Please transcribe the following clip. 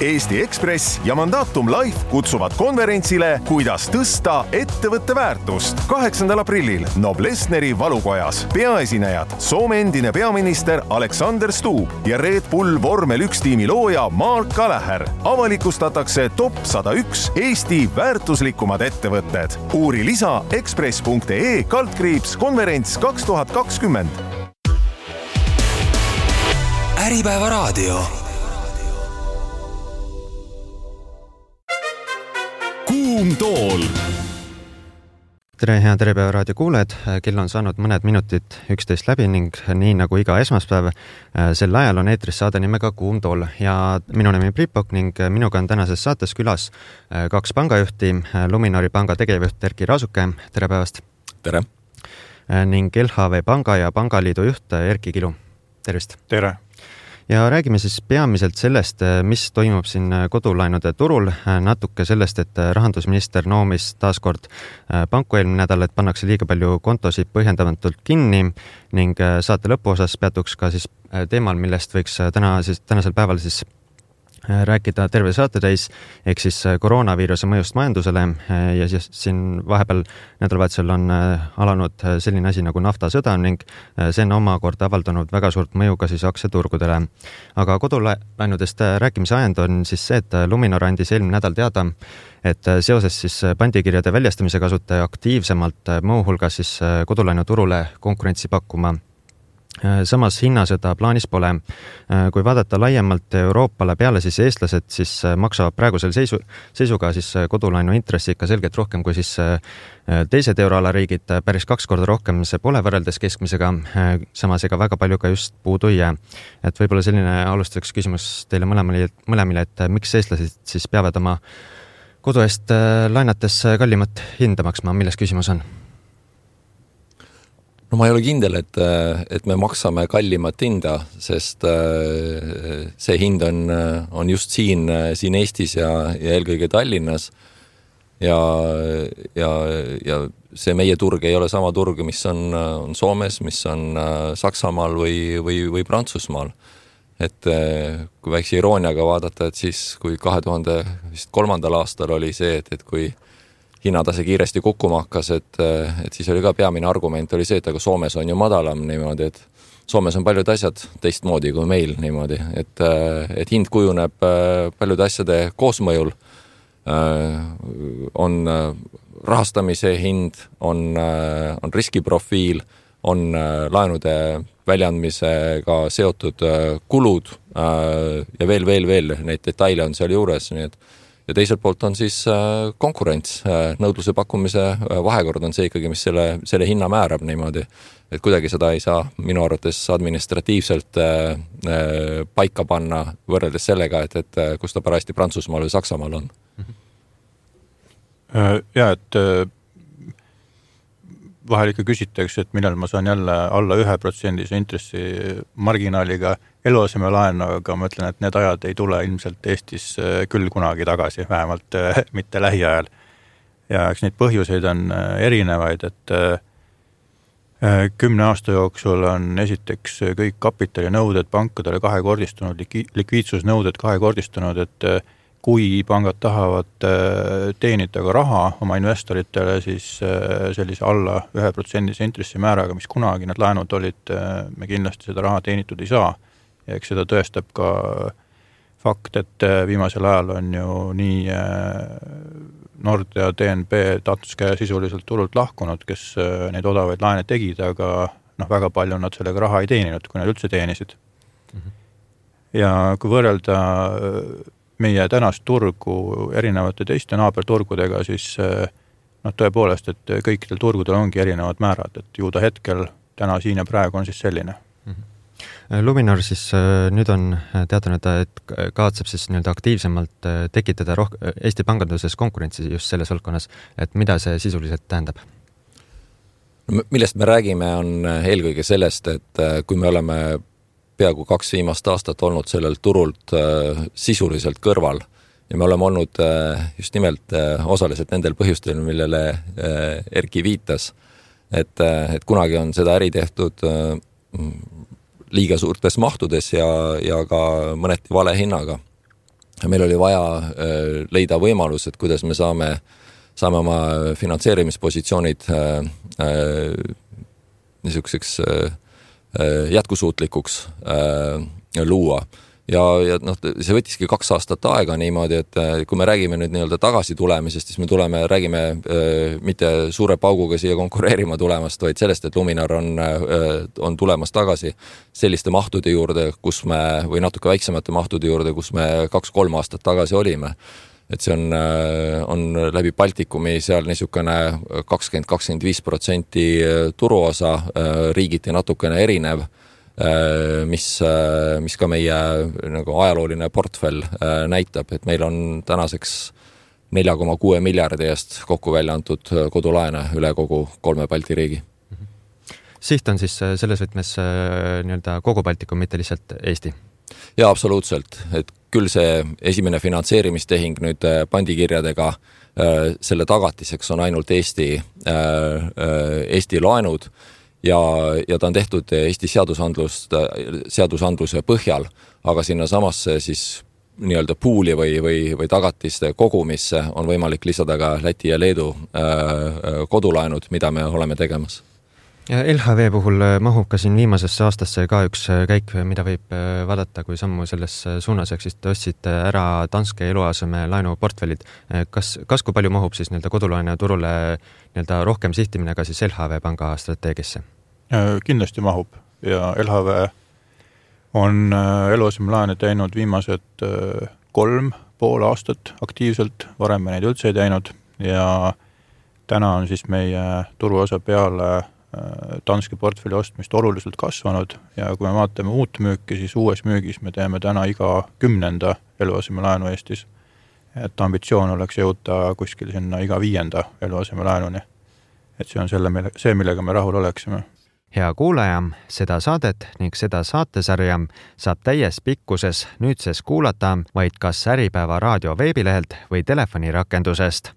Eesti Ekspress ja Mandatum Life kutsuvad konverentsile Kuidas tõsta ettevõtte väärtust 8. aprillil Noblessneri valukojas. Peaesinejad Soome endine peaminister Alexander Stubb ja Red Bull Vormel 1 tiimi looja Mark Gallagher. Avalikustatakse top 101 Eesti väärtuslikumad ettevõtted. Uuri lisa ekspress.ee/konverents 2020. Äripäeva raadio. Kuum tool. Tere, hea Äripäeva raadio kuuled. Kell on saanud mõned minutid 11 läbi ning nii nagu iga esmaspäev sel ajal on eetris saade nimega Kuum tool. Ja minu nimi Pripok ning minuga on tänases saates külas 2 pangajuhti, Luminori panga tegevjuht Erki Raasuke. Tere päevast! Tere! Ning LHV panga ja pangaliidu juht Erki Kilu. Tervist! Tere! Ja räägime siis peamiselt sellest, mis toimub siin kodulaenude turul, natuke sellest, et rahandusminister noomis taaskord panku eelmine nädal, et pannakse liiga palju kontosid põhjendamatult kinni ning saate lõpuosas peatuks ka siis teemal, millest võiks tänasel päeval siis rääkida terve saate täis, ehk siis koroonaviiruse mõjust majandusele ja siis siin vahepeal nädalavahetusel on alanud selline asi nagu naftasõda ning see on omakorda avaldanud väga suurt mõju ka siis aktsiaturgudele. Aga kodulaenudest rääkimise ajend on siis see, et Luminor andis eelmine nädal teada, et seoses siis pandikirjade väljastamise kasutaja aktiivsemalt muuhulgas siis kodulaenuturule konkurentsi pakkuma. Samas hinnasõda plaanis pole. Kui vaadata laiemalt Euroopale peale, siis eestlased siis maksavad praegusel seisuga siis kodulaenu intressi ikka selgelt rohkem kui siis teised euroala riigid, päris 2 korda rohkem see pole võrreldes keskmisega, samas ega väga palju ka just puudu ei jää. Et võib-olla selline alustuseks küsimus teile mõlemile, et miks eestlased siis peavad oma kodu eest laenates kallimat hinda maksma, milles küsimus on? No ma ei ole kindel, et me maksame kallimat hinda, sest see hind on just siin Eestis ja eelkõige Tallinnas ja see meie turg ei ole sama turg, mis on Soomes, mis on Saksamaal või Prantsusmaal. Et kui väikse irooniaga vaadata, et siis kui 2003. aastal oli see, et kui hinnatase kiiresti kukkuma hakkas, et siis oli ka peamine argument oli see, et aga Soomes on ju madalam niimoodi, et Soomes on paljud asjad teistmoodi kui meil niimoodi, et hind kujuneb paljude asjade koosmõjul, on rahastamise hind, on riskiprofiil, on laenude väljaandmisega seotud kulud ja veel neid detaile on seal juures, nii et ja teiselt poolt on siis konkurents, nõudluse pakkumise vahekord on see ikkagi, mis selle hinna määrab niimoodi, et kuidagi seda ei saa minu arvates administratiivselt paika panna võrreldes sellega, et kus ta parajasti Prantsusmaal või Saksamaal on. Ja, et vahel ikka küsitakse, et millal ma saan jälle alla 1% intressi marginaaliga eluasemelaenu, aga ma ütlen, et need ajad ei tule ilmselt Eestis küll kunagi tagasi, vähemalt mitte lähiajal. Ja eks neid põhjuseid on erinevaid, et 10 aasta jooksul on esiteks kõik kapitalinõuded pankadele kahekordistunud, likviidsusnõuded kahekordistunud, et kui pangad tahavad teenida ka raha oma investoritele, siis sellise alla 1% intressimääraga, mis kunagi need laenud olid, me kindlasti seda raha teenitud ei saa. Ja eks seda tõestab ka fakt, et viimasel ajal on ju nii Nord ja DNB Danske sisuliselt turult lahkunud, kes neid odavaid laene tegid, aga väga palju nad sellega raha ei teeninud, kui nad üldse teenisid. Ja kui võrrelda meie tänast turgu erinevate teiste naaberturgudega, siis tõepoolest, et kõikidel turgudel ongi erinevad määrad, et ju ta hetkel täna siin ja praegu on siis selline. Luminor siis nüüd on teatanud, et kavatseb siis nii-öelda aktiivsemalt tekitada Eesti panganduses konkurentsi just selles valdkonnas, et mida see sisuliselt tähendab? Millest me räägime on eelkõige sellest, et kui me oleme peaaegu 2 viimast aastat olnud sellel turult sisuliselt kõrval ja me oleme olnud just nimelt osaliselt nendel põhjustel, millele Erki viitas, et kunagi on seda äri tehtud liiga suurtes mahtudes ja ka mõneti vale hinnaga. meil oli vaja leida võimalus, et kuidas me saame oma finantseerimispositsioonid niisuguseks jätkusuutlikuks luua. Ja see võttiski 2 aastat aega niimoodi, et kui me räägime nüüd nii-öelda tagasi tulemisest, siis me räägime mitte suure pauguga siia konkureerima tulemast, vaid sellest, et Luminar on tulemas tagasi selliste mahtude juurde, või natuke väiksemate mahtude juurde, kus me 2-3 aastat tagasi olime. Et see on läbi Baltikumi seal niisugune 20-25% turuosa, riigiti natukene erinev, mis ka meie nagu ajalooline portfell näitab, et meil on tänaseks 4,6 miljardi eest kokku välja antud kodulaene üle kogu 3 Balti riigi. Siht on siis selles võtmes nii-öelda kogu Baltikum, mitte lihtsalt Eesti? Jaa, absoluutselt. Et küll see esimene finantseerimistehing nüüd pandikirjadega selle tagatiseks on ainult Eesti laenud, ja ta on tehtud Eesti seadusandluse põhjal, aga sinna samasse siis nii-öelda puuli või tagatiste kogumisse on võimalik lisada ka Läti ja Leedu kodulaenud, mida me oleme tegemas. Ja LHV puhul mahub ka siin viimasesse aastasse ka üks käik, mida võib vaadata kui sammu selles suunas, ehk siis te ostsite ära Danske eluaseme laenuportfellid. Kas kui palju mahub siis nii-öelda kodulaene turule nii-öelda rohkem sihtimine ka siis LHV panga strateegiasse? Kindlasti mahub ja LHV on eluasemelaene teinud viimased 3,5 aastat aktiivselt, varem me neid üldse ei teinud ja täna on siis meie turuosa peale Danske portfelli ostmist oluliselt kasvanud ja kui me vaatame uut müüki, siis uues müügis me teeme täna iga 10. eluasemelaenu Eestis. Et ambitsioon oleks jõuda kuskil sinna iga 5. eluasemelaenuni. Et see on see, millega me rahul oleksime. Hea kuulaja, seda saadet ning seda saatesarja saab täies pikkuses nüüdses kuulata vaid kas Äripäeva raadio veebilehelt või telefonirakendusest.